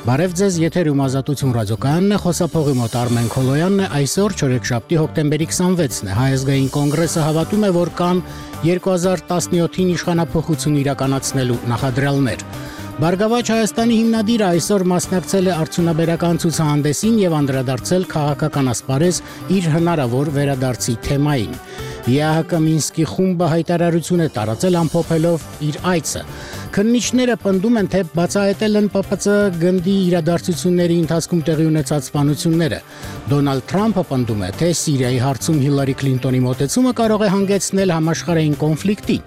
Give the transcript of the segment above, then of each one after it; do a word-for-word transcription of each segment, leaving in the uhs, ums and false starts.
Բարև ձեզ, եթերում Ազատություն ռադիոկայանն է, խոսափողի մոտ Արմեն Քոլոյանն է, այսօր չորեքշաբթի հոկտեմբերի քսանվեցն է, Հայ ազգային կոնգրեսը հավատում է, որ կան երկու հազար տասնյոթին իշխանափոխություն իրականացնելու նախադրյալներ։ Բարգավաճ Հայաստանի հիմնադիրը այսօր մասնակցել է արդյունաբերական ցուցահանդեսին եւ անդրադարձել քաղաքական ասպարեզ իր հնարավոր վերադարձի թեմային։ ԵԱՀԿ Մինսկի խումբը հայտարարություն է տարածել ամփոփելով իր այցը։ Քննիչները պնդում են, թե բացահայտել են ՊՊՑ գնդի իրադարձությունների ընթացքում տեղի ունեցած սպանությունները։ Դոնալդ Թրամփը պնդում է, թե Սիրիայի հարցում Հիլարի Քլինտոնի մոտեցումը կարող է հանգեցնել համաշխարհային կոնֆլիկտի։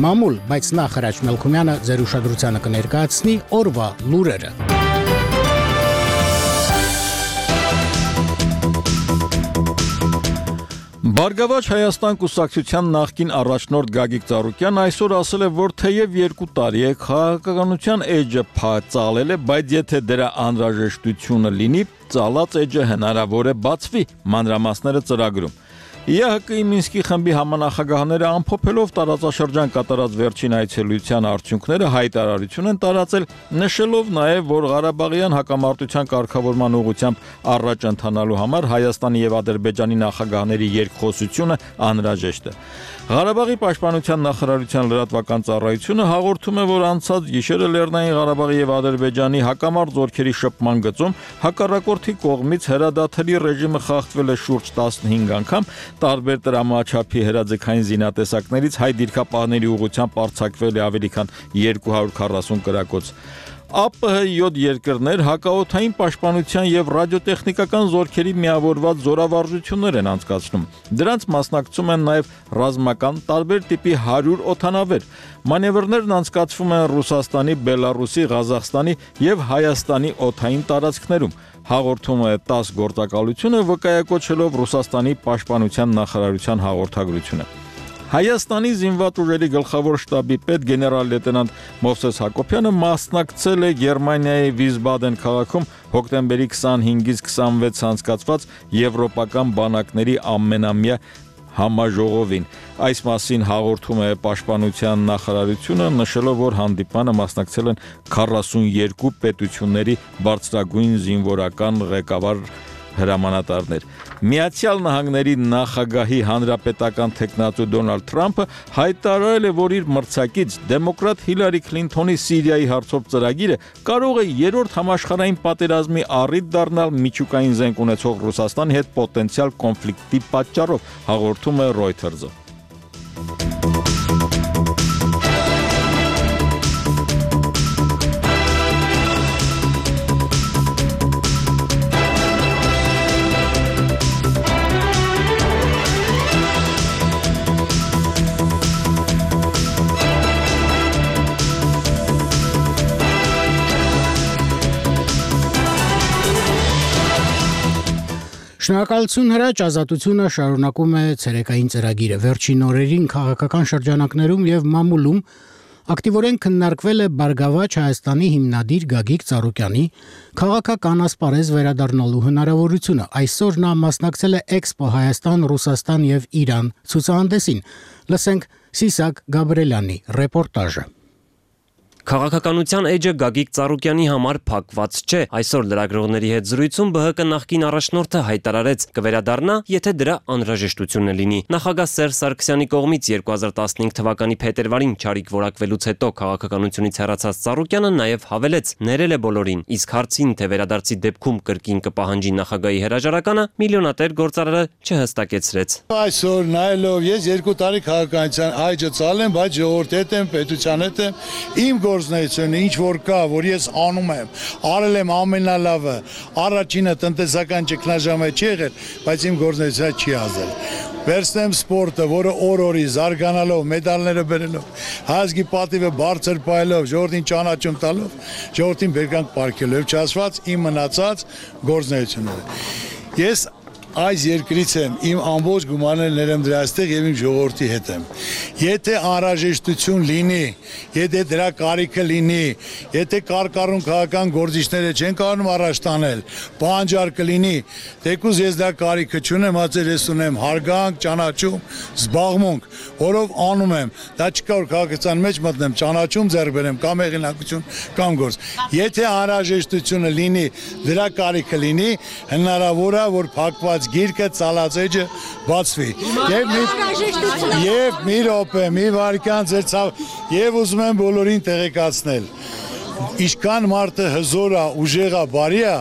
Մամուլ, բայց նախ Հրաչ Մելքումյանը ձեր ուշադրությանը կներկայացնի օրվա լուրերը։ Բարգավաճ Հայաստան կուսակցության նախկին առաջնորդ Գագիկ Ծառուկյանն այսօր ասել է, որ թեև երկու տարի է քաղաքականության էջը փածալել է, բայց եթե դրա անհրաժեշտությունը լինի, ծալած էջը հնարավոր է բացվի, մանրամասները ծրագրում։ ԵԱՀԿ-ի Մինսկի խմբի համանախագահները ամփոփելով տարածաշրջան կատարած վերջին այցելության արդյունքները հայտարարություն են տարածել, նշելով նաև, որ Ղարաբաղյան հակամարտության կարգավորման ուղղությամբ առաջ ընթանալու համար Հայաստանի եւ Ադրբեջանի նախագահների երկխոսությունը անհրաժեշտ է։ Ղարաբաղի պաշտպանության նախարարության լրատվական ծառայությունը հաղորդում է, որ անցած գիշերը Լեռնային Ղարաբաղի եւ Ադրբեջանի հակամարտ զորքերի շփման գծում հակառակորդի կողմից հրադադարի ռեժիմը խախտվել է շուրջ տասնհինգ անգամ, տարբեր տրամաչափի հրաձգային զինատեսակներից հայ դիրքապահների ուղղությամբ արձակվել է ավելի քան երկու հարյուր քառասուն կրակոց։ ԱՊՀ յոթ երկրներ հակաօդային պաշտպանության եւ ռադիոտեխնիկական զորքերի միավորված զորավարժություններ են անցկացնում։ Դրանց մասնակցում են նաեւ ռազմական տարբեր տիպի հարյուր օդանավեր։ Մանևրներն անցկացվում են Ռուսաստանի, Բելարուսի, Ղազախստանի եւ Հայաստանի օդային տարածքներում։ Հաղորդում է տաս գործակալությունը վկայակոչելով Ռուսաստանի պաշտպանության նախարարության հաղորդագրությունը։ Հայաստանի զինված ուժերի գլխավոր շտաբի պետ գեներալ լեյտենանտ Մովսես Հակոբյանը մասնակցել է Գերմանիայի Վիսբադեն քաղաքում հոկտեմբերի քսանհինգից քսանվեց անցկացված եվրոպական բանակների ամենամյա համաժողովին։ Այս մասին հաղորդում է պաշտպանության նախարարությունը, նշելով, որ հանդիպանը մասնակցել են քառասունյոթ պետությունների բարձրագույն զինվորական ղեկավար հրամանատարներ։ Միացյալ Նահանգների նախագահի հանրապետական թեկնածու Դոնալդ Թրամփը հայտարարել է, որ իր մրցակից դեմոկրատ Հիլարի Քլինտոնի Սիրիայի հարցով ծրագիրը կարող է երրորդ համաշխարհային պատերազմի առիթ դառնալ միջուկային զենք ունեցող Ռուսաստանի հետ պոտենցիալ կոնֆլիկտի պատճառով, հաղորդում է Reuters-ը։ Շնորհակալություն Հրաչ, Ազատությունը շարունակում է ցերեկային ծրագիրը։ Վերջին օրերին քաղաքական շրջանակներում եւ մամուլում ակտիվորեն քննարկվել է Բարգավաճ Հայաստանի հիմնադիր Գագիկ Ծառուկյանի քաղաքական ասպարեզ վերադառնալու հնարավորությունը։ Այսօր նա մասնակցել է Էքսպո Հայաստան, Ռուսաստան եւ Իրան ցուցահանդեսին։ Լսենք Սիսակ Գաբրելյանի ռեպորտաժը։ Քաղաքականության էջը Գագիկ Ծառուկյանի համար փակված չէ։ Այսօր լրագրողների հետ զրույցում ԲՀԿ նախկին առաջնորդը հայտարարեց կվերադառնա, եթե դրա անհրաժեշտությունը լինի։ Նախագահ Սերժ Սարգսյանի կողմից երկու հազար տասնհինգ թվականի փետրվարին չարիք որակվելուց հետո քաղաքականությունից հեռացած Ծառուկյանը նաև հավելեց, ներել է բոլորին, իսկ հարցին, թե վերադարձի դեպքում կրկին կպահանջի նախագահի հրաժարականը, միլիոնատեր գործարարը չհստակեցրեց։ Այսօր նայելով ես երկու տարի քաղաքականության այջը ծալեմ, բայց ժողովրդի հետ եմ, պետության հետ եմ, իմ գործունեությունը ինչ որ կա, որ ես անում եմ, արել եմ ամենալավը, առաջինը տնտեսական ճգնաժամը չի եղել, բայց իմ գործունեությունը չի ազդել։ Վերցնեմ սպորտը, որը օր-օրի զարգանալով, մեդալները բերելով, հայազգի պատիվը բարձր պահելով, ժողովրդին ճանաչում տալով, ժողովրդին բերկանք պարգևելով, չասված իմ մնացած գործունեությունները։ Ես այս երկրից եմ, իմ ամբողջ գումարներն ներեմ դրա այստեղ եւ իմ ժողովրդի հետ եմ։ Եթե անհրաժեշտություն լինի, եթե դրա կարիքը լինի, եթե կարկառուն քաղաքական գործիչները չեն կարող առաջ տանել, պահանջար կլինի, թեկուզ ես դա կարիքը չունեմ, հացեր ես ունեմ հարգանք, ճանաչում, զբաղմունք, որով անում եմ, դա չկա որ քաղաքացիական մեջ մտնեմ, ճանաչում ձեռք բերեմ, կամ հեղինակություն, կամ գործ։ Եթե անհրաժեշտությունը լինի, դրա կարիքը լինի, հնարավոր է որ փակված գիրկը ծալածեջը բացվի։ Եվ մի եւ մի րոպե, մի վարքան ձեր ցավ եւ ուզում եմ բոլորին տեղեկացնել։ Ինչքան մարդը հզոր է, ուժեղ է, բարի է,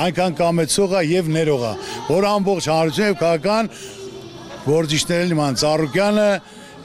այնքան կամեցող է եւ ներող է, որ ամբողջ հանրությունը եւ քաղաքական գործիչներն իման Ծառուկյանը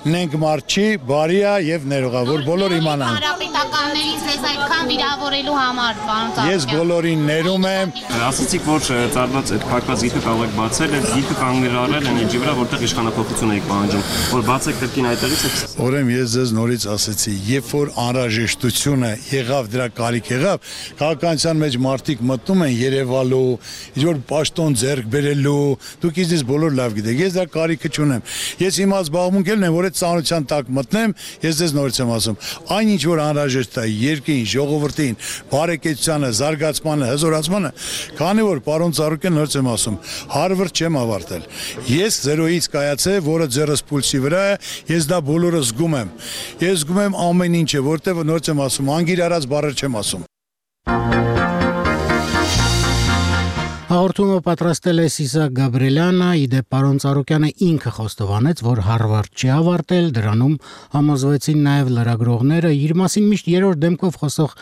նենք մարդ չի, բարի է եւ ներող է, որ բոլոր իմանան։ Հանրապետականներից ձեզ այդքան վիրավորելու համար, պարոն Ծառուկյան։ Ես բոլորին ներում եմ։ Ասացիք, որ ծառված այդ փակված գիրքը կարող եք բացել, այդ գիրքը կանգնարել են էջի վրա, որտեղ իշխանապողություն եք պահանջում, որ բացեք կրկին այդտեղից եք։ Ուրեմն ես ձեզ նորից ասեցի, երբ որ անհրաժեշտությունը եղավ, դրա կարիք եղավ, քաղաքականության մեջ մարդիկ մտնում են Երևալու, ինչ որ պաշտոն ձեռք բերելու, դուք ինձ բոլոր լավ գիտեք, ես դա կարիքը չունեմ։ Ես հիմա զբաղմունք եմ, որ ծանոթության տակ մտնեմ, ես ձեզ նորից եմ ասում, այն ինչ որ անհրաժեշտ է երկրին, ժողովրդին, բարեկեցությանը, զարգացմանը, հզորացմանը, քանի որ պարոն Ծառուկյան նորից եմ ասում, հարվրդ չեմ ավարտել։ Ես զերոյից կայացե, որը ձեռս պուլսի վրա է, ես դա բոլորը զգում եմ։ Ես զգում եմ ամեն ինչը, որտեղ նորից եմ ասում, անգիր արած բառեր չեմ ասում։ Հաղորդումը պատրաստել է Սիսակ Գաբրելյանը, իդեպ պարոն Ծառուկյանը ինքը խոստովանեց, որ Հարվարդ չի ավարտել, դրանում համոզվեցին նաև լրագրողները, իր մասին միշտ երրորդ դեմքով խոսող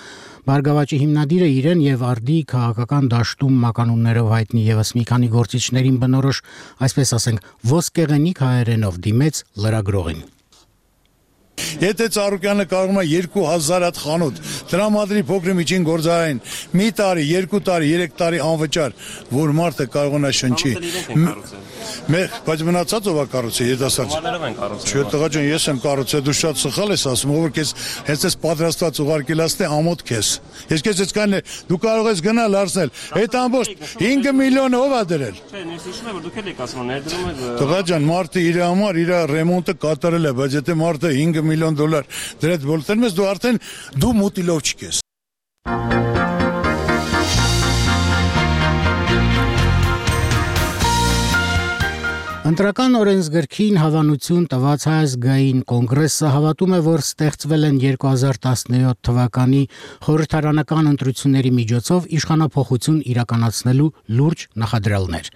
Բարգավաճի հիմնադիրը իրեն եւ արդի քաղաքական դաշտում մականուններով հայտնի եւս մի քանի գործիչներին բնորոշ, այսպես ասենք, ոսկեղենիկ հայերենով դիմեց լրագրողին։ Եթե Ծառուկյանը կարող է երկու հազար հատ խանութ տրամադրի փոքր միջին գործարային մի տարի, երկու տարի, երեք տարի անվճար, որ մարդը կարող է շնչի։ Մեր բայց մնացած ով է կառուցել երիտասարդ։ Չէ, տղա ջան, ես եմ կառուցել, դու շատ սխալ ես ասում, ով որ քեզ հենց այս պատրաստված ուղարկելաստ է ամոթ քեզ։ Ես քեզ այսքան դու կարող ես գնալ արսնել։ Այդ ամբողջ հինգ միլիոնը ով է դրել։ Չէ, ես հիշում եմ, որ դուք եք ասում, ներդրում եք։ Տղա ջան, մարդը իր համար իր ռեմոնտը կատարել է, բայց եթե մարդը հինգ միլիոն դոլար դրեց բոլտերն ես դու արդեն դու մուտիլով չկես։ Ընտրական օրենսգրքին հավանություն տված Հայ ազգային կոնգրեսը հավատում է, որ ստեղծվել են երկու հազար տասնյոթ թվականի խորհրդարանական ընտրությունների միջոցով իշխանափոխություն իրականացնելու լուրջ նախադրյալներ։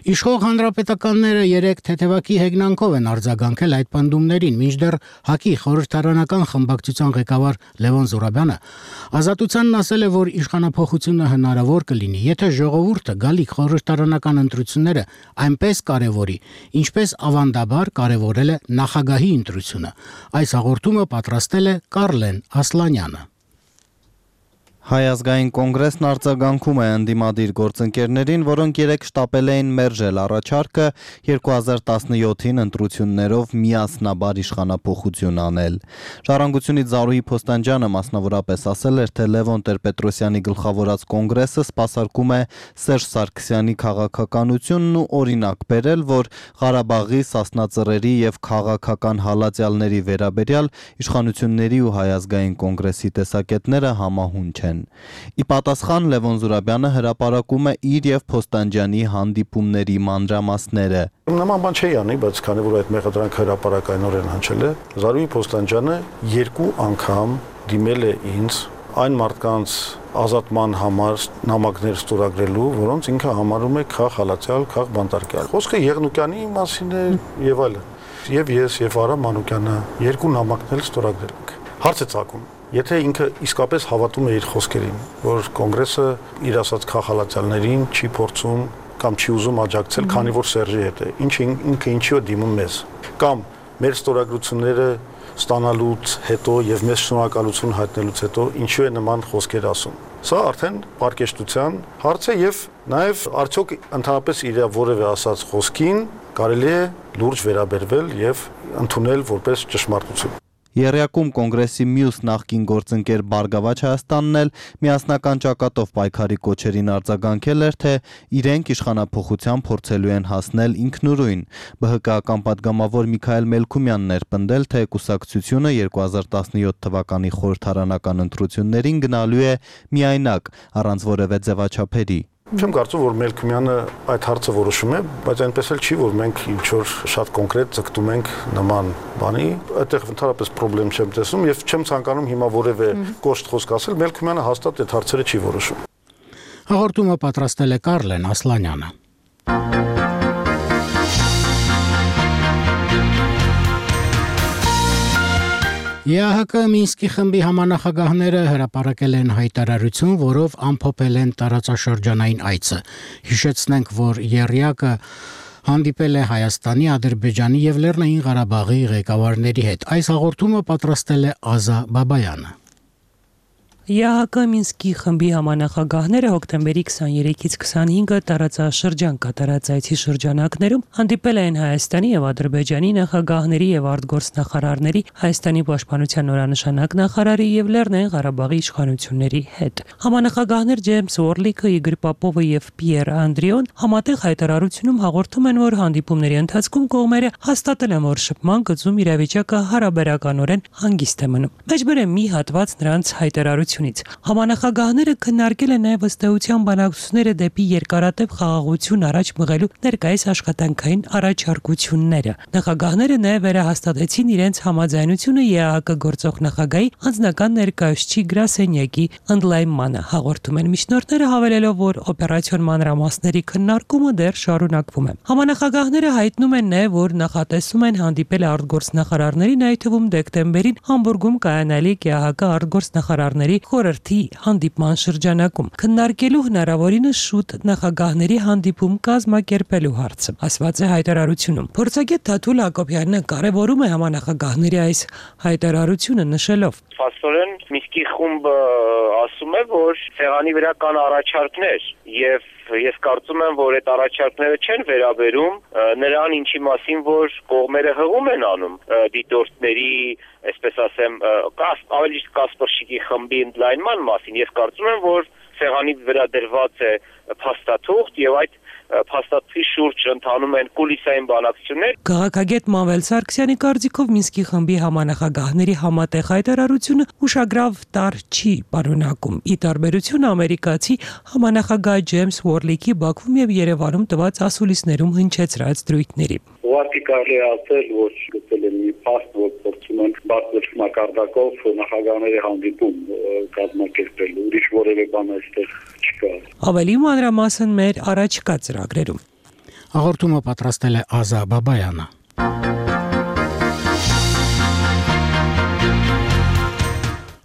Իշխող հանրապետականները երեք թեթևակի հեգնանքով են արձագանքել այդ պնդումներին, մինչդեռ ՀԱԿ-ի խորհրդարանական խմբակցության ղեկավար Լևոն Զուրաբյանը Ազատությանն ասել է, որ իշխանափոխությունը հնարավոր կլինի, եթե ժողովուրդը գալիք խորհրդարանական ընտրությունները այնպես կարևորի, ինչպես ավանդաբար կարևորել է նախագահի ընտրությունը։ Այս հաղորդումը պատրաստել է Կարլեն Ասլանյանը։ Հայ ազգային կոնգրեսն արձագանքում է ընդդիմադիր գործընկերներին, որոնք երեք շտապել էին մերժել առաջարկը երկու հազար տասնյոթին ընտրություններով միասնաբար իշխանափոխություն անել։ Ժառանգությունից Զարուհի Փոստանջյանը մասնավորապես ասել էր, թե Լևոն Տեր-Պետրոսյանի գլխավորած կոնգրեսը սպասարկում է Սերժ Սարգսյանի քաղաքականությունն ու օրինակ բերել, որ Ղարաբաղի, Սասնա Ծռերի եւ քաղաքական հալածյալների վերաբերյալ իշխանությունների ու Հայ ազգային կոնգրեսի տեսակետները համահունչ են։ Ի պատասխան Լևոն Զուրաբյանը հրապարակում է իր եւ Փոստանջյանի հանդիպումների մանրամասները։ Նման բան չի անի, բայց քանի որ այդ մեղադրանքը հրապարակայնորեն հնչել է, Զարուհի Փոստանջյանը երկու անգամ դիմել է ինձ այն մարդկանց ազատման համար նամակներ ստորագրելու, որոնց ինքը համարում է քաղ հալածյալ, քաղ բանտարկյալ։ Խոսքը Եղնուկյանի մասին է եւ այլն։ Եվ ես եւ Արա Մանուկյանը երկու նամակներ ստորագրել ենք։ Հարց է ցակում, եթե ինքը իսկապես հավատում է իր խոսքերին, որ կոնգրեսը իր ասած քաղաքացիներին չի փորձում կամ չի ուզում աջակցել, քանի որ Սերժի հետ է, ինչ ինքը ինչի է դիմում մեզ, կամ մեր ստորագրությունները ստանալուց հետո եւ մեզ շնորհակալություն հայտնելուց հետո ինչու է նման խոսքեր ասում։ Սա արդեն պարկեշտության հարց է եւ նաեւ արդյոք ընդհանրապես իր որևէ ասած խոսքին կարելի է լուրջ վերաբերվել եւ ընդունել որպես ճշմարտություն։ Եռյակում կոնգրեսի մյուս նախկին գործընկեր Բարգավաճ Հայաստանն էլ միասնական ճակատով պայքարի կոչերին արձագանքել էր, թե իրենք իշխանափոխության փորձելու են հասնել ինքնուրույն։ ԲՀԿ-ական պատգամավոր Միքայել Մելքումյանն էր պնդել, թե կուսակցությունը երկու հազար տասնյոթ թվականի խորհրդարանական ընտրություններին գնալու է միայնակ, առանց որևէ ձևաչափերի։ Չեմ կարծում, որ Մելքումյանը այդ հարցը որոշում է, բայց այնպես էլ չի, որ մենք ինչ-որ շատ կոնկրետ ձգտում ենք նման բանի, այդտեղ ընդհանրապես խնդրեմ չեմ տեսնում եւ չեմ ցանկանում հիմա որևէ կոշտ խոսք ասել, Մելքումյանը հաստատ այդ հարցերը չի որոշում։ Հաղորդումը պատրաստել է Կարլեն Ասլանյանը։ ԵԱՀԿ Մինսկի խմբի համանախագահները հրապարակել են հայտարարություն, որով ամփոփել են տարածաշրջանային այցը։ Հիշեցնենք, որ ԵՌՅԱԿ-ը հանդիպել է Հայաստանի, Ադրբեջանի եւ Լեռնային Ղարաբաղի ղեկավարների հետ։ Այս հաղորդումը պատրաստել է Ազա Բաբայանը։ ԵԱՀԿ Մինսկի խմբի համանախագահները հոկտեմբերի քսաներեքից քսանհինգը տարածաշրջան կատարած այցի շրջանակներում հանդիպել են Հայաստանի եւ Ադրբեջանի նախագահների եւ արտգործնախարարների, Հայաստանի պաշտպանության նորանշանակ նախարարի եւ Լեռնային Ղարաբաղի իշխանությունների հետ։ Համանախագահներ Ջեյմս Օրլիկը, Իգոր Պապովը եւ Պիեր Անդրիոն համատեղ հայտարարությունում հաղորդում են, որ հանդիպումների ընթացքում կողմերը հաստատել են, որ շփման գծում իրավիճակը հարաբերականորեն հանգիստ է մնում։ Մեջբեր է մի հատված նրանց հայտարարություն Համանախագահները քննարկել են նաև ըստեյության բանակցությունները դեպի երկարատև խաղաղություն առաջ մղելու ներկայիս աշխատանքային առաջարկությունները։ Նախագահները նաև վերահաստատեցին իրենց համաձայնությունը ԵԱՀԿ գործող նախագահի անձնական ներկայացուցիչ գրասենյակի ընդլայնմանը։ Հաղորդում են միջնորդները, հավելելով, որ օպերացիոն մանրամասների քննարկումը դեռ շարունակվում է։ Համանախագահները հայտնում են նաև, որ նախատեսում են հանդիպել արտգործնախարարներին, այդ թվում դեկտեմբերին Համբուրգում կայանալիք ԵԱՀԿ արտգործնախարարների խորհրդի հանդիպման շրջանակում քննարկելու հնարավորինս շուտ նախագահների հանդիպում կազմակերպելու հարցը, ասված է հայտարարությունում։ Փորձագետ Թաթուլ Հակոբյանը կարևորում է համանախագահների այս հայտարարությունը, նշելով. Փաստորեն Մինսկի խումբը ասում է, որ ցեղանի վրա կան առաջարկներ եւ ես կարծում եմ, որ այդ առաջարկները չեն վերաբերում նրան, ինչի մասին որ կողմերը հղում են անում դիտորդների, այսպես ասեմ, ավելի Կասպրշիկի խմբի ընդլայնման մասին։ Ես կարծում եմ, որ ցեղանի վրա դրված է փաստաթուղթ եւ այդ փաստաթղթի շուրջ ընթանում են կուլիսային բանակցություններ։ Քաղաքագետ Մանվել Սարգսյանի կարծիքով Մինսկի խմբի համանախագահների համատեղ հայտարարությունը ուշագրավ տար չի պարունակում։ Ի տարբերություն ամերիկացի համանախագահ Ջեյմս Օրլիկի Բաքվում եւ Երևանում տված ասուլիսներում հնչեցրած դրույթների։ Ուղղակի կարելի է ասել, որ գտել են մի փաստ, որ փորձում են բարձր մակարդակով նախագահների հանդիպում կազմակերպել, ուրիշ որևէ բան այստեղ չկա։ Ավելի մանրամասն մեր առաջկա ծրագրերում։ Հաղորդումը պատրաստել է Ազա Բաբայանը։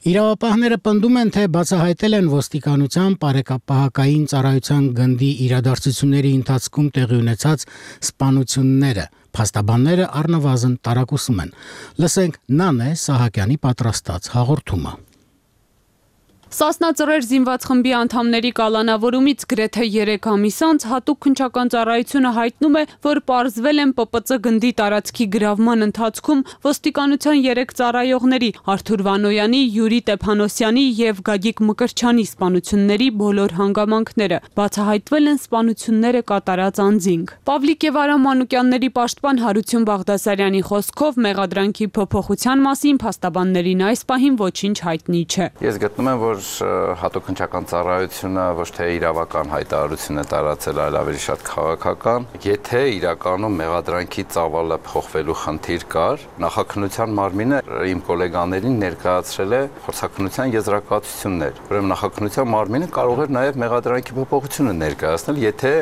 Իրավապահները պնդում են, թե բացահայտել են ոստիկանության բարեկապահական ծառայության գնդի իրադարձությունների ընթացքում տեղի ունեցած սպանությունները։ Փաստաբանները առնվազն տարակուսում են։ Լսենք Նանե Սահակյանի պատրաստած հաղորդումը։ Սասնա ծռեր զինված խմբի անդամների կալանավորումից գրեթե երեք ամիս անց հատուկ քննչական ծառայությունը հայտնում է, որ պարզվել են ՊՊԾ գնդի տարածքի գրավման ընթացքում ոստիկանության երեք ծառայողների՝ Արթուր Վանոյանի, Յուրի Տեփանոսյանի եւ Գագիկ Մկրչյանի սպանությունների բոլոր հանգամանքները։ Բացահայտվել են սպանությունները կատարած անձինք։ Պավլիկ եւ Արամ Մանուկյանների պաշտպան Հարություն Բաղդասարյանի խոսքով մեղադրանքի փոփոխության մասին փաստաբաններին այս պահին ոչինչ հայտնի չէ։ Ես գտնում եմ, որ հատուկ քննչական ծառայությունը ոչ թե իրավական հայտարարություն է տարածել, այլ ավելի շատ քաղաքական։ Եթե իրականում մեղադրանքի ծավալը փոխվելու խնդիր կար, նախաքննության մարմինը իմ գոլեգաներին ներկայացրել է փորձաքննության եզրակացություններ։ Ուրեմն նախաքննության մարմինը կարող էր նաև մեղադրանքի փոփոխությունը ներկայացնել, եթե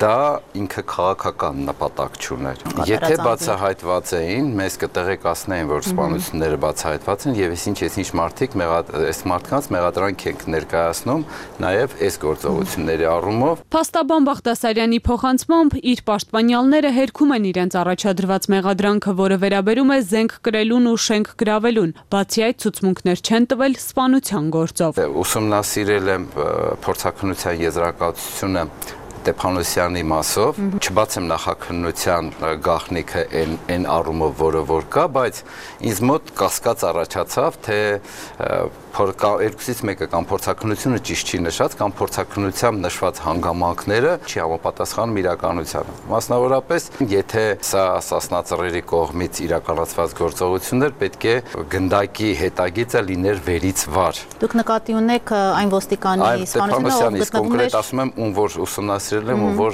դա ինքը քաղաքական նպատակ չուներ։ Եթե բացահայտված էին, մեզ կտեղեկացնեին, որ սպանությունները բացահայտված են եւ այսինչ այսինչ մարդիկ այս մարդկանց մեղադրանք ենք ներկայացնում նաև այս գործողությունների առումով։ Փաստաբան Բաղդասարյանի փոխանցմամբ իր պաշտպանյալները հերքում են իրենց առաջադրված մեղադրանքը, որը վերաբերում է զենք կրելուն ու շենք գրավելուն, բացի այդ ցուցմունքներ չեն տվել սպանության գործով։ Ուսումնասիրել եմ փորձաքննության եզրակացությունը Ստեփանոսյանի մասով, չբացեմ նախաքննության գաղտնիքը այն այն առումով, որը որ կա, բայց ինձ մոտ կասկած առաջացավ, թե երկուսից մեկը կամ փորձաքննությունը ճիշտ չի նշած, կամ փորձաքննությամբ նշված հանգամանքները չի համապատասխանում իրականությանը։ Մասնավորապես, եթե սա սասնածռերի կողմից իրականացված գործողություններ, պետք է գնդակի հետագիծը լիներ վերից վար։ Դուք նկատի ունեք այն ոստիկանի սպանությունը, ով կոնկրետ ասում եմ, ում որ ուսումնասիրել եմ, ում որ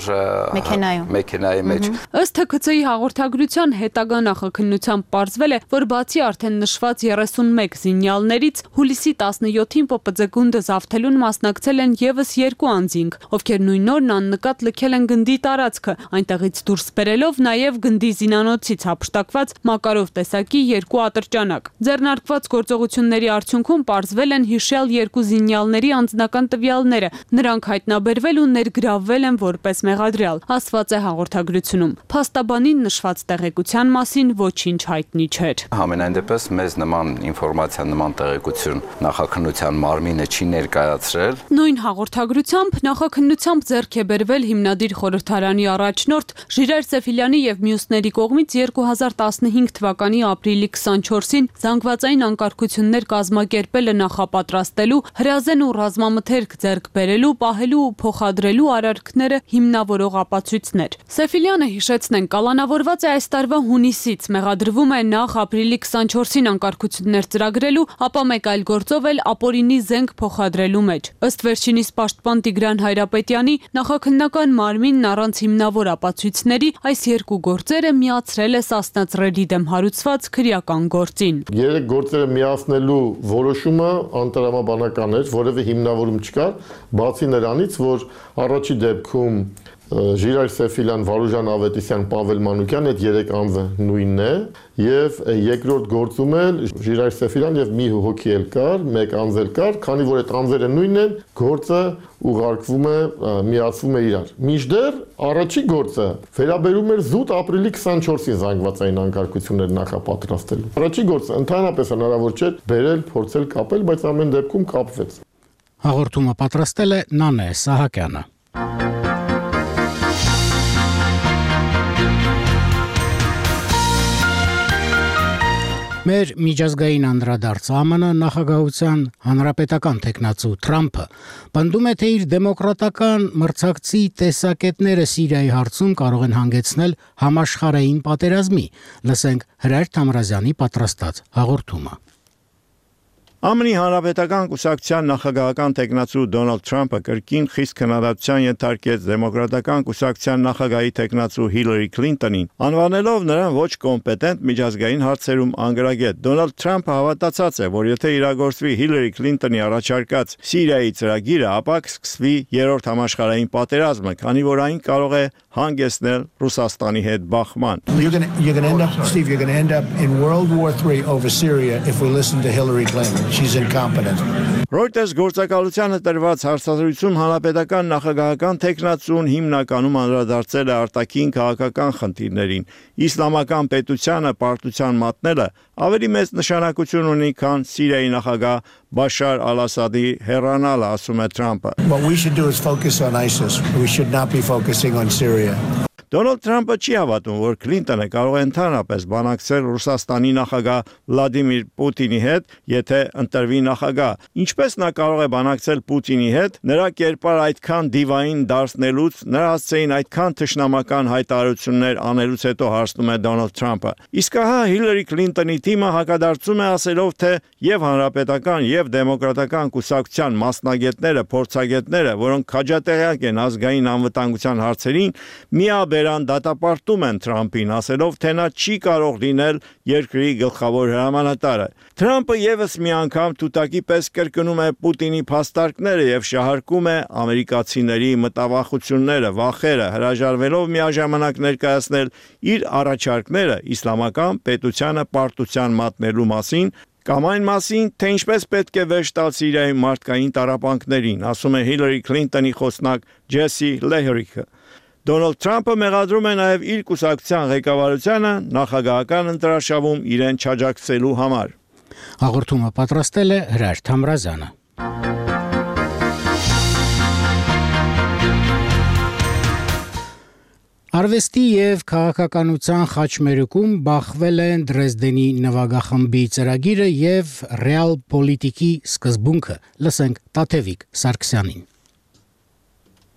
մեքենայի մեջ։ Ըստ Թ K C-ի հաղորդագրության հետագա նախաքննությամբ պարզվել է, որ բացի արդեն նշված երեսունմեկ զինյալներից հուլիսի տասնյոթին P P Z գունդը զավթելուն մասնակցել են եւս երկու անձինք, ովքեր նույն օրն աննկատ լքել են գնդի տարածքը, այնտեղից դուրս բերելով նաեւ գնդի զինանոցից հափշտակված Մակարով տեսակի երկու ատրճանակ։ Ձեռնարկված գործողությունների արդյունքում պարզվել են հիշյալ երկու զինյալների անձնական տվյալները, նրանք հայտնաբերվել ու ներգրավվել են որպես մեղադրյալ, ասված է հաղորդագրությունում։ Փաստաբանին նշված տեղեկության մասին ոչինչ հայտնի չէր։ Համենայն դեպս մեզ նման ինֆորմացիա, նման տեղեկություն նախաքննության մարմինը չի ներկայացրել։ Նույն հաղորդագրությամբ նախաքննությամբ ձեռք է բերվել հիմնադիր խորհրդարանի առաջնորդ Ժիրայր Սեֆիլյանի եւ մյուսների կողմից երկու հազար տասնհինգ թվականի ապրիլի քսանչորսին զանգվածային անկարգություններ կազմակերպելը նախապատրաստելու, հրազեն ու ռազմամթերք ձեռք բերելու, պահելու ու փոխադրելու արարքները հիմնավորող ապացույցներ։ Սեֆիլյանը, հիշեցնենք, կալանավորված է այս տարվա հունիսից, մեղադրվում է նախ ապրիլի քսանչորսին անկարգություններ ծրագրելու, ապա մեկ այլ գործով էլ ապօրինի զենք փոխադրելու մեջ։ Ըստ վերջինիս պաշտպան Տիգրան Հայրապետյանի, նախաքննական մարմինն առանց հիմնավոր ապացույցների այս երկու գործերը միացրել է Սասնա Ծռերի դեմ հարուցված քրեական գործին։ Երեք գործերը միացնելու որոշումը անտրամաբանական էր, որևէ հիմնավորում չկար, բացի նրանից, որ առաջի դեպքում Ժիրայր Սեֆիլյան, Վարուժան Ավետիսյան, Պավել Մանուկյան այդ երեք անձը նույնն է եւ երկրորդ գործում էլ Ժիրայր Սեֆիլյան եւ մի հոգի էլ կար, մեկ անձ էլ կար, քանի որ այդ անձերը նույնն են, գործը ուղարկվում է, միացվում է իրար։ Մինչդեռ առաջի գործը վերաբերում էր զուտ ապրիլի քսանչորսին զանգվածային անկարգություններ նախապատրաստելու։ Առաջի գործը ընդհանրապես հնարավոր չէր բերել, փորձել կապել, բայց ամեն դեպքում կապվեց։ Հաղորդումը պատրաստել է Նանե Սահակյանը։ Մեր միջազգային անդրադարձ Ա M N նախագահության հանրապետական տեխնացու Թրամփը պնդում է, թե իր դեմոկրատական մրցակցի տեսակետները Սիրիայի հարցում կարող են հանգեցնել համաշխարհային պատերազմի։ Լսենք Հրայր Թամրազյանի պատրաստած հաղորդումը։ Ա M N-ի հանրապետական կուսակցության նախագահական տեխնացու Դոնալդ Թրամփը կրկին խիստ քննադատության ենթարկեց դեմոկրատական կուսակցության նախագահի տեխնացու Հիլարի Քլինտոնին, անվանելով նրան ոչ կոմպետենտ միջազգային հարցերում անգրագետ։ Դոնալդ Թրամփը հավատացած է, որ եթե իրագործվի Հիլարի Քլինտոնի առաջարկած Սիրիայի ծրագիրը, ապա կսկսվի երրորդ համաշխարհային պատերազմը, քանի որ այն կարող է հանգեցնել Ռուսաստանի հետ բախման։ You're going to you're going to end up Steve you're going to end up in World War three over Syria if we listen to Hillary Clinton. She's incompetent. Reuters գործակալությանը տրված հարցազրույցում հանրապետական նախագահական տեխնացուն հիմնականում անդրադարձել է արտաքին քաղաքական խնդիրներին։ Իսլամական պետությանը պարտության մատնելը ավելի մեծ նշանակություն ունի, քան Սիրիայի նախագահ Բաշար Ալ-Ասադի հեռանալը, ասում է Թրամփը։ What we should do is focus on ISIS. We should not be focusing on Syria. Դոնալդ Թրամփը չի հավատում, որ Քլինտոնը կարող է ընդհանրապես բանակցել Ռուսաստանի նախագահ Վլադիմիր Պուտինի հետ, եթե ընտրվի նախագահ։ Ինչպես նա կարող է բանակցել Պուտինի հետ, նրա կերպար այդքան դիվային դարձնելուց, նրա հասցեին այդքան թշնամական հայտարարություններ անելուց հետո հարցնում է Դոնալդ Թրամփը։ Իսկ ահա Հիլարի Քլինտոնի թիմը հակադարձում է ասելով, թե եւ հանրապետական եւ դեմոկրատական կուսակցության մասնագետները, փորձագետները, որոնք քաջատեղյակ են ազգային անվտանգության հարցերին, միաբերան դատապարտում են Թրամփին, ասելով, թե նա չի կարող լինել երկրի գլխավոր հրամանատարը։ Թրամփը եւս մի անգամ թութակի պես կրկնում է Պուտինի փաստարկները եւ շահարկում է ամերիկացիների մտավախությունները, վախերը, հրաժարվելով միաժամանակ ներկայացնել իր առաջարկները իսլամական պետությանը պարտության մատնելու մասին, կամ այն մասին, թե ինչպես պետք է վերջ տալ Սիրիայի մարդկային տառապանքներին, ասում է Հիլարի Քլինտոնի խոսնակ Ջեսի Լեհրիքը։ Դոնալդ Թրամփը մեղադրում է նաև իր կուսակցության ղեկավարությանը նախագահական ընտրաշավում իրեն չաջակցելու համար։ Հաղորդումը պատրաստել է Հրայր Թամրազյանը։ Արվեստի եւ քաղաքականության խաչմերուկում բախվել են Դրեզդենի նվագախմբի ծրագիրը եւ ռեալ պոլիտիկի սկզբունքը։ Լսենք Տաթևիկ Սարգսյանին։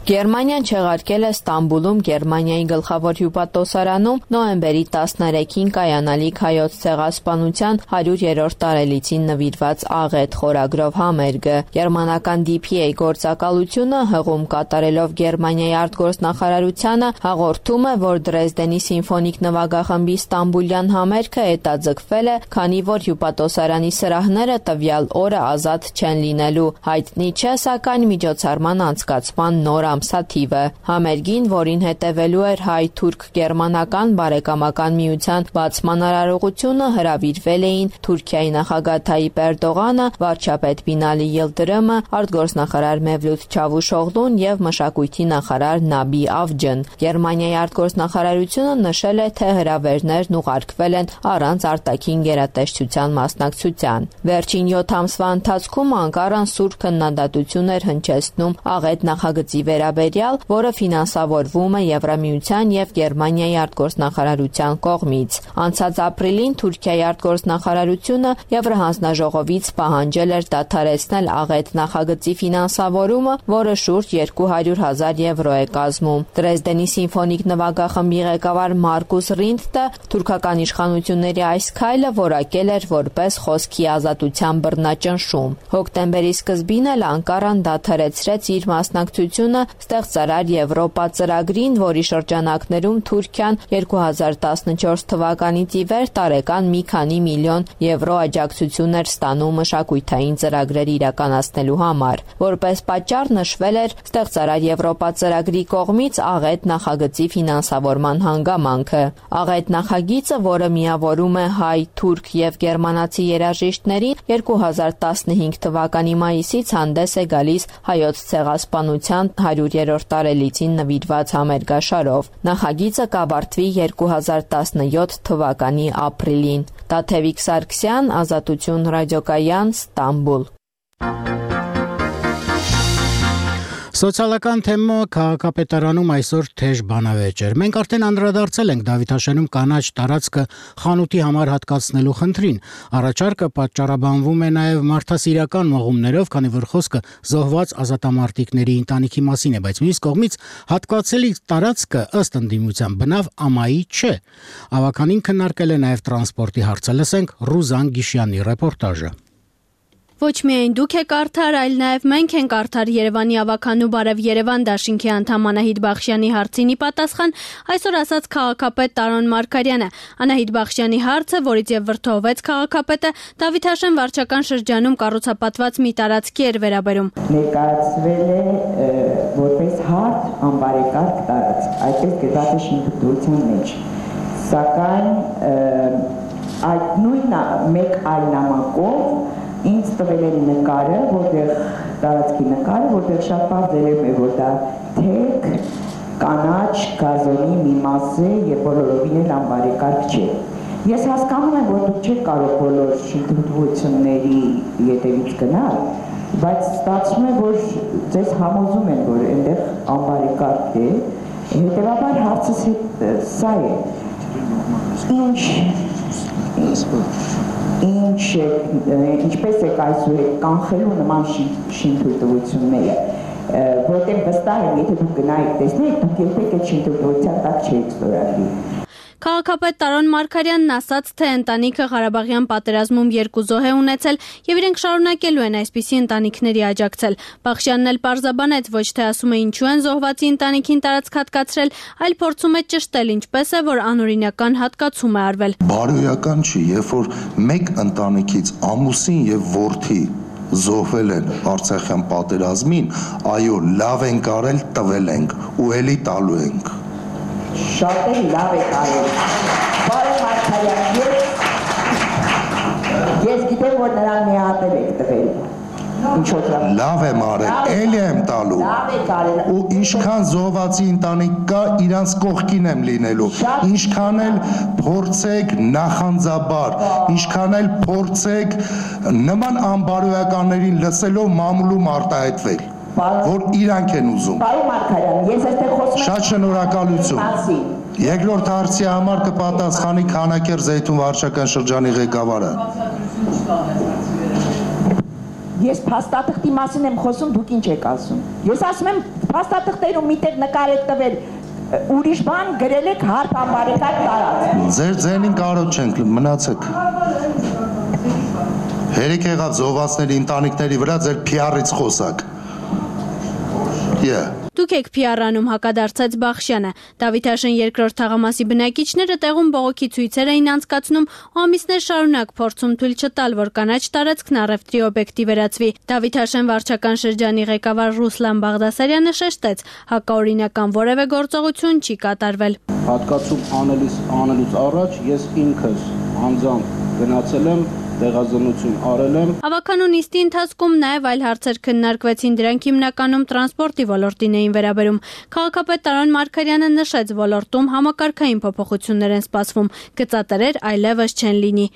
Գերմանիան չեղարկել է Ստամբուլում Գերմանիայի գլխավոր հյուպատոսարանում նոյեմբերի տասներեքին կայանալիք հայոց ցեղասպանության հարյուրերորդ տարելիցին նվիրված աղետ խորագրով համերգը։ Գերմանական դի փի էյ գործակալությունը հղում կատարելով Գերմանիայի արտգործնախարարությանը հաղորդում է, որ Դրեզդենի սիմֆոնիկ նվագախմբի ստամբուլյան համերգը հետաձգվել է, քանի որ հյուպատոսարանի սրահները տվյալ օրը ազատ չեն լինելու։ Հայտնի չէ, սակայն միջոցառման անցկացման նոր ամսաթիվը։ Համերգին, որին հետևելու էր հայ-թուրք-գերմանական բարեկամական միության բացման արարողությունը, հրավիրվել էին Թուրքիայի նախագահ Թայիպ Էրդողանը, վարչապետ Բինալի Յիլդրիմը, արտգործնախարար Մևլութ Չավուշօղլուն եւ մշակույթի նախարար Նաբի Ավջն։ Գերմանիայի արտգործնախարարությունը նշել է, թե հրավերներն ուղարկվել են առանց արտաքին գերատեսչության մասնակցության։ Վերջին յոթ ամսվա ընթացքում Անկարան սուր քննադատություն էր հնչեցնում աղետ նախագծի վերաբերյալ, որը ֆինանսավորվում է Եվրամիության եւ Գերմանիայի արտգործնախարարության կողմից։ Անցած ապրիլին Թուրքիայի արտգործնախարարությունը Եվրահանձնաժողովից պահանջել էր դադարեցնել աղետ նախագծի ֆինանսավորումը, որը շուրջ երկու հարյուր հազար եվրո է կազմում։ Դրեզդենի սիմֆոնիկ նվագախմբի ղեկավար Մարկուս Ռինդտը թուրքական իշխանությունների այս քայլը որակել էր որպես խոսքի ազատության բռնաճնշում։ Հոկտեմբերի սկզբին էլ Անկարան դադարեցրեց իր մասնակցությունը ստեղծարար Եվրոպա ծրագրին, որի շրջանակներում Թուրքիան երկու հազար տասնչորս թվականից ի վեր տարեկան մի քանի միլիոն եվրո աջակցություն էր ստանում մշակութային ծրագրեր իրականացնելու համար։ Որպես պատճառ նշվել էր ստեղծարար Եվրոպա ծրագրի կողմից աղետ նախագծի ֆինանսավորման հանգամանքը։ Աղետ նախագիծը, որը միավորում է հայ, թուրք եւ գերմանացի երաժիշտներին, երկու հազար տասնհինգ թվականի մայիսից հանդես է գալիս հայոց ցեղասպանության հարյուրերորդ տարելիցին նվիրված համերգաշարով։ Նախագիծը կավարտվի երկու հազար տասնյոթ թվականի ապրիլին։ Տաթևիկ Սարգսյան, Ազատություն ռադիոկայան, Ստամբուլ։ Սոցիալական թեմը քաղաքապետարանում այսօր թեժ բանավեճ էր։ Մենք արդեն անդրադարձել ենք Դավիթաշենում կանաչ տարածքը խանութի համար հատկացնելու խնդրին։ Առաջարկը պատճառաբանվում է նաև մարդասիրական մղումներով, քանի որ խոսքը զոհված ազատամարտիկների ընտանիքի մասին է, բայց մյուս կողմից հատկացելի տարածքը ըստ ընդդիմության բնավ ամայի չէ։ Ավականին քննարկել է նաև տրանսպորտի հարցը։ Լսենք Ռուզան Գիշյանի ռեպորտաժը։ Ոչ միայն դուք եք արդար, այլ նաև մենք ենք արդար Երևանի ավականու Բարև Երևան դաշինքի անդամ Անահիտ Բախշյանի հարցին ի պատասխան այսօր ասաց քաղաքապետ Տարոն Մարգարյանը։ Անահիտ Բախշյանի հարցը, որից եւ վրդովվեց քաղաքապետը, Դավիթաշեն վարչական շրջանում կառուցապատված մի տարածքի էր վերաբերում։ Ներկայացվել է որպես հարթ անբարեկարգ տարածք, այդպես գրված է շինթույլտվության մեջ։ Սակայն այդ նույն մեկ այլ նամակով ինձ տվել են նկարը, որտեղ տարածքի նկարը, որտեղ շատ բարձ երևում է, որ դա թեք, կանաչ, գազոնի մի մաս է եւ բոլորովին էլ անբարեկարգ չէ։ Ես հասկանում եմ, որ դուք չեք կարող բոլոր շինթույլտվությունների ետևից գնալ, բայց ստացվում է, որ ձեզ համոզում են, որ այնտեղ անբարեկարգ է, հետեւաբար հարցս սա է։ Ինչ ինչպես է այսուհետ կանխելու նման շինթույլտվությունները, որտեղ վստահ եմ, եթե դուք գնայիք տեսնեք, դուք երբեք այդ շինթույլտվության տակ չեք ստորագրի։ Քաղաքապետ Տարոն Մարգարյանն ասաց, թե ընտանիքը Ղարաբաղյան պատերազմում երկու զոհ է ունեցել եւ իրենք շարունակելու են այսպիսի ընտանիքների աջակցել։ Բախշյանն էլ պարզաբանեց, ոչ թե ասում է ինչու են զոհվածի ընտանիքին տարածք հատկացրել, այլ փորձում է ճշտել ինչպես է, որ անօրինական հատկացում է արվել։ Բարոյական չի, երբ որ մեկ ընտանիքից ամուսին եւ որդի զոհվել են Արցախյան պատերազմին, այո, լավ ենք արել, տվել ենք ու ելի տալու ենք։ Շատ լավ է կարել։ Բարև Մարգարյան, ես գիտեմ, որ նրան մի հատ եք տվել։ Լավ եմ արել, էլի եմ տալու։ Ու ինչքան զոհվածի ընտանիք կա, իրանց կողքին եմ լինելու։ Ինչքան էլ փորձեք նախանձաբար, ինչքան էլ փորձեք նման անբարոյականներին լսելով մամուլում արտահայտվել։ որ իրանք են ուզում։ Պարոն Մարգարյան, ես այստեղ խոսում եմ։ Շատ շնորհակալություն։ Երկրորդ հարցի համար կպատասխանի Քանակեր Զեյթուն վարչական շրջանի ղեկավարը։ Ես փաստաթղթի մասին եմ խոսում, դուք ինչ եք ասում։ Ես ասում եմ փաստաթղթերում միտեղ նկար եք տվել, ուրիշ բան գրել եք հարկ անբարեկարգ տարած։ Ձեր ձենին կարոտ չենք, մնացեք։ Հերիք եղավ զոհվածների ընտանիքների վրա ձեր փիառից խոսակ։ Yeah. Դուք եք փիառանում, հակադարձած Բախշյանը։ Դավիթաշեն երկրորդ թաղամասի բնակիչները տեղում բողոքի ցույցեր էին անցկացնում ու ամիսներ շարունակ փորձում թույլ չտալ, որ կանաչ տարածքն առևտրի օբյեկտի վերածվի։ Դավիթաշեն վարչական շրջանի ղեկավար Ռուսլան Բաղդասարյանը շեշտեց, հակաօրինական որևէ գործողություն չի կատարվել։ Հատկացում անելիս անելուց առաջ ես ինքս անձամբ գնացել եմ տեղազնություն արել եմ։ Ավականու նիստի ընթացքում նաև այլ հարցեր քննարկվեցին, դրանք հիմնականում տրանսպորտի ոլորտին էին վերաբերում։ Քաղաքապետ Տարոն Մարգարյանը նշեց, ոլորտում համակարգային փոփոխություններ են սպասվում, գծատերեր այլևս չեն լինի։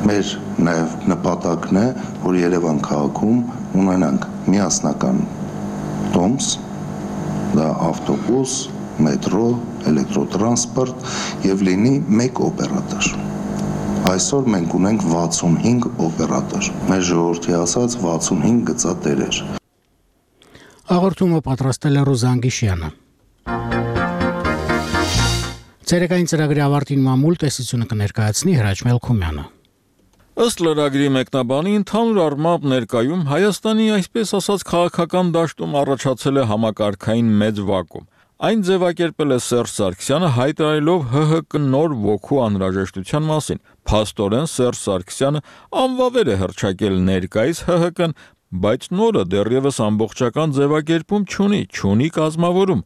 Մեր նաև նպատակն է, որ Երևան քաղաքում ունենանք միասնական տոմս, դա ավտոբուս, մետրո, էլեկտրոտրանսպորտ եւ լինի մեկ օպերատոր։ Այսօր մենք ունենք վաթսունհինգ օպերատոր, մեր ժողովրդի ասած վաթսունհինգ գծատերեր։ Հաղորդումը պատրաստել է Ռուզան Գիշյանը։ Ցերեկային ծրագրի ավարտին մամուլ տեսությունը կներկայացնի Հրաչ Մելքումյանը։ Ըստ լրագրի մեկնաբանի ընդհանուր առմամբ ներկայում Հայաստանի այսպես ասած քաղաքական դաշտում առաջացել է համակարգային մեծ վակուում։ Այն ձևակերպել է Սերժ Սարգսյանը հայտարարելով ՀՀԿ նոր ոգու անհրաժեշտության մասին։ Փաստորեն Սերժ Սարգսյանը անվավեր է հռչակել ներկայիս ՀՀԿ-ն, բայց նորը դեռևս ամբողջական ձևակերպում չունի, չունի կազմավորում։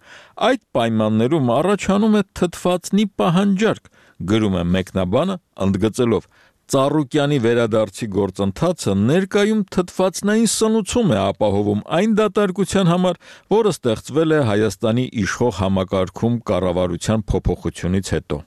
Այդ պայմաններում առաջանում է թթվածնի պահանջարկ, գրում է մեկնաբանը, ընդգծելով. Ծառուկյանի վերադարձի գործընթացը ներկայում թթվածնային սնուցում է ապահովում այն դատարկության համար, որը ստեղծվել է Հայաստանի իշխող համակարգում կառավարության փոփոխությունից հետո։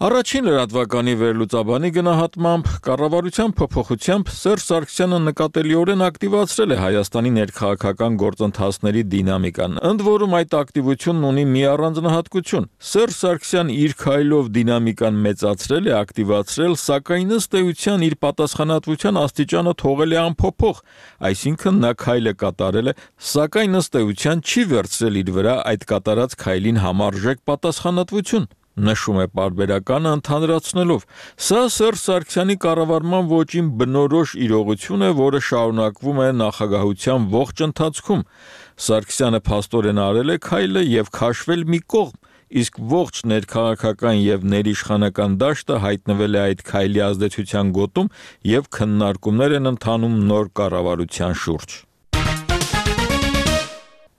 Առաջին լրատվականի վերլուծաբանի գնահատմամբ կառավարության փոփոխությամբ Սերժ Սարգսյանը նկատելիորեն ակտիվացրել է Հայաստանի ներքաղաքական գործընթացների դինամիկան, ընդ որում այդ ակտիվությունն ունի մի առանձնահատկություն։ Սերժ Սարգսյան իր քայլով դինամիկան մեծացրել է, ակտիվացրել, սակայն ըստ էության իր պատասխանատվության աստիճանը թողել է անփոփոխ, այսինքն նա քայլը կատարել է, սակայն ըստ էության չի վերցրել իր վրա այդ կատարած քայլին համարժեք պատասխանատվություն։ Նշում է պարբերականը ընդհանրացնելով. Սա Սերժ Սարգսյանի կառավարման ոճին բնորոշ իրողություն է, որը շարունակվում է նախագահության ողջ ընթացքում։ Սարգսյանը փաստորեն արել է քայլը եւ քաշվել մի կողմ, իսկ ողջ ներքաղաքական եւ ներիշխանական դաշտը հայտնվել է այդ քայլի ազդեցության գոտում եւ քննարկումներ են ընթանում նոր կառավարության շուրջ։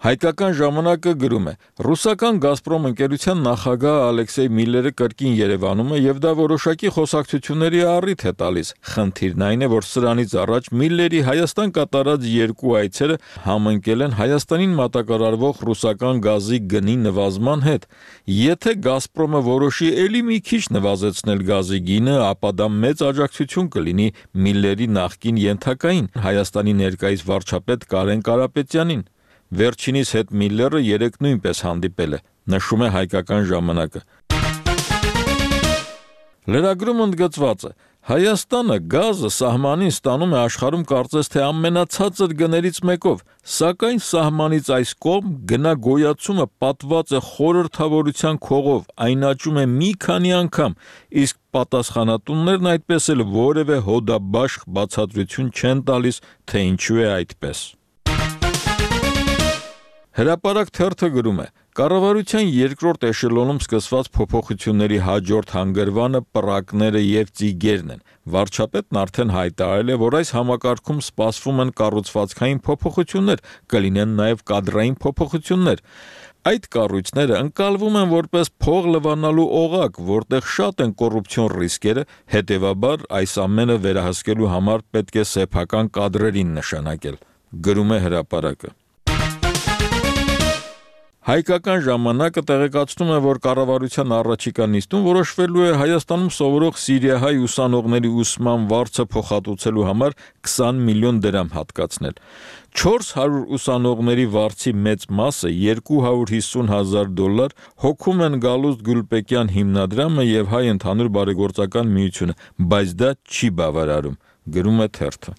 Հայկական ժամանակը գրում է. Ռուսական Գազպրոմ ընկերության նախագահ Ալեքսեյ Միլլերը կրկին Երևանում է եւ դա որոշակի խոսակցությունների առիթ է տալիս։ Խնդիրն այն է, որ սրանից առաջ Միլլերի Հայաստան կատարած երկու այցերը համընկել են Հայաստանին մատակարարվող ռուսական գազի գնի նվազման հետ։ Եթե Գազպրոմը որոշի էլի մի քիչ նվազեցնել գազի գինը, ապա դա մեծ աջակցություն կլինի Միլլերի նախկին ենթակային Հայաստանի ներկայիս վարչապետ Կարեն Կարապետյանին։ Վերջինիս հետ Միլլերը երեք նույնպես հանդիպել է, նշում է Հայկական ժամանակը։ Լրագրում ընդգծված է. Հայաստանը գազը սահմանին ստանում է աշխարհում կարծես թե ամենացածր գներից մեկով, սակայն սահմանից այս կողմ գնագոյացումը պատված է խորհրդավորության քողով, այն աճում է մի քանի անգամ, իսկ պատասխանատուններն այդպես էլ որևէ հոդաբաշխ բացատրություն չեն տալիս, թե ինչու է այդպես։ Հրապարակ թերթը գրում է. Կառավարության երկրորդ էշելոնում սկսված փոփոխությունների հաջորդ հանգրվանը պռակները եւ ծիգերն են։ Վարչապետն արդեն հայտարարել է, որ այս համակարգում սպասվում են կառուցվածքային փոփոխություններ, կլինեն նաեւ կադրային փոփոխություններ։ Այդ կառույցները ընկալվում են որպես փող լվանալու օղակ, որտեղ շատ են կոռուպցիոն ռիսկերը, հետեւաբար այս ամենը վերահսկելու համար պետք է սեփական կադրերին նշանակել։ Գրում է հրապարակը։ Հայկական ժամանակը տեղեկացնում է, որ կառավարության առաջիկա նիստում որոշվելու է Հայաստանում սովորող սիրիահայ ուսանողների ուսման վարձը փոխհատուցելու համար քսան միլիոն դրամ հատկացնել։ չորս հարյուր ուսանողների վարձի մեծ մասը երկու հարյուր հիսուն հազար դոլար հոգում են Գալուստ Գուլպեկյան հիմնադրամը եւ Հայ ընդհանուր բարեգործական միությունը, բայց դա չի բավարարում, գրում է թերթը։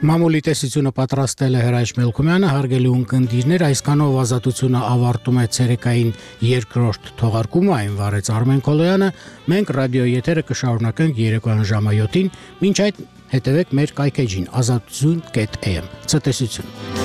Մամուլի տեսությունը պատրաստել է Հրայր Մելքումյանը, հարգելի ունկնդիրներ, այսքանով ազատությունը ավարտում է ցերեկային երկրորդ թողարկումը, այն վարեց Արմեն Քոլոյանը, մենք ռադիո եթերը կշարունակենք երեկոյան ժամը յոթին, մինչ այդ հետևեք մեր կայքեջին ազատություն կետ am, ցտեսություն։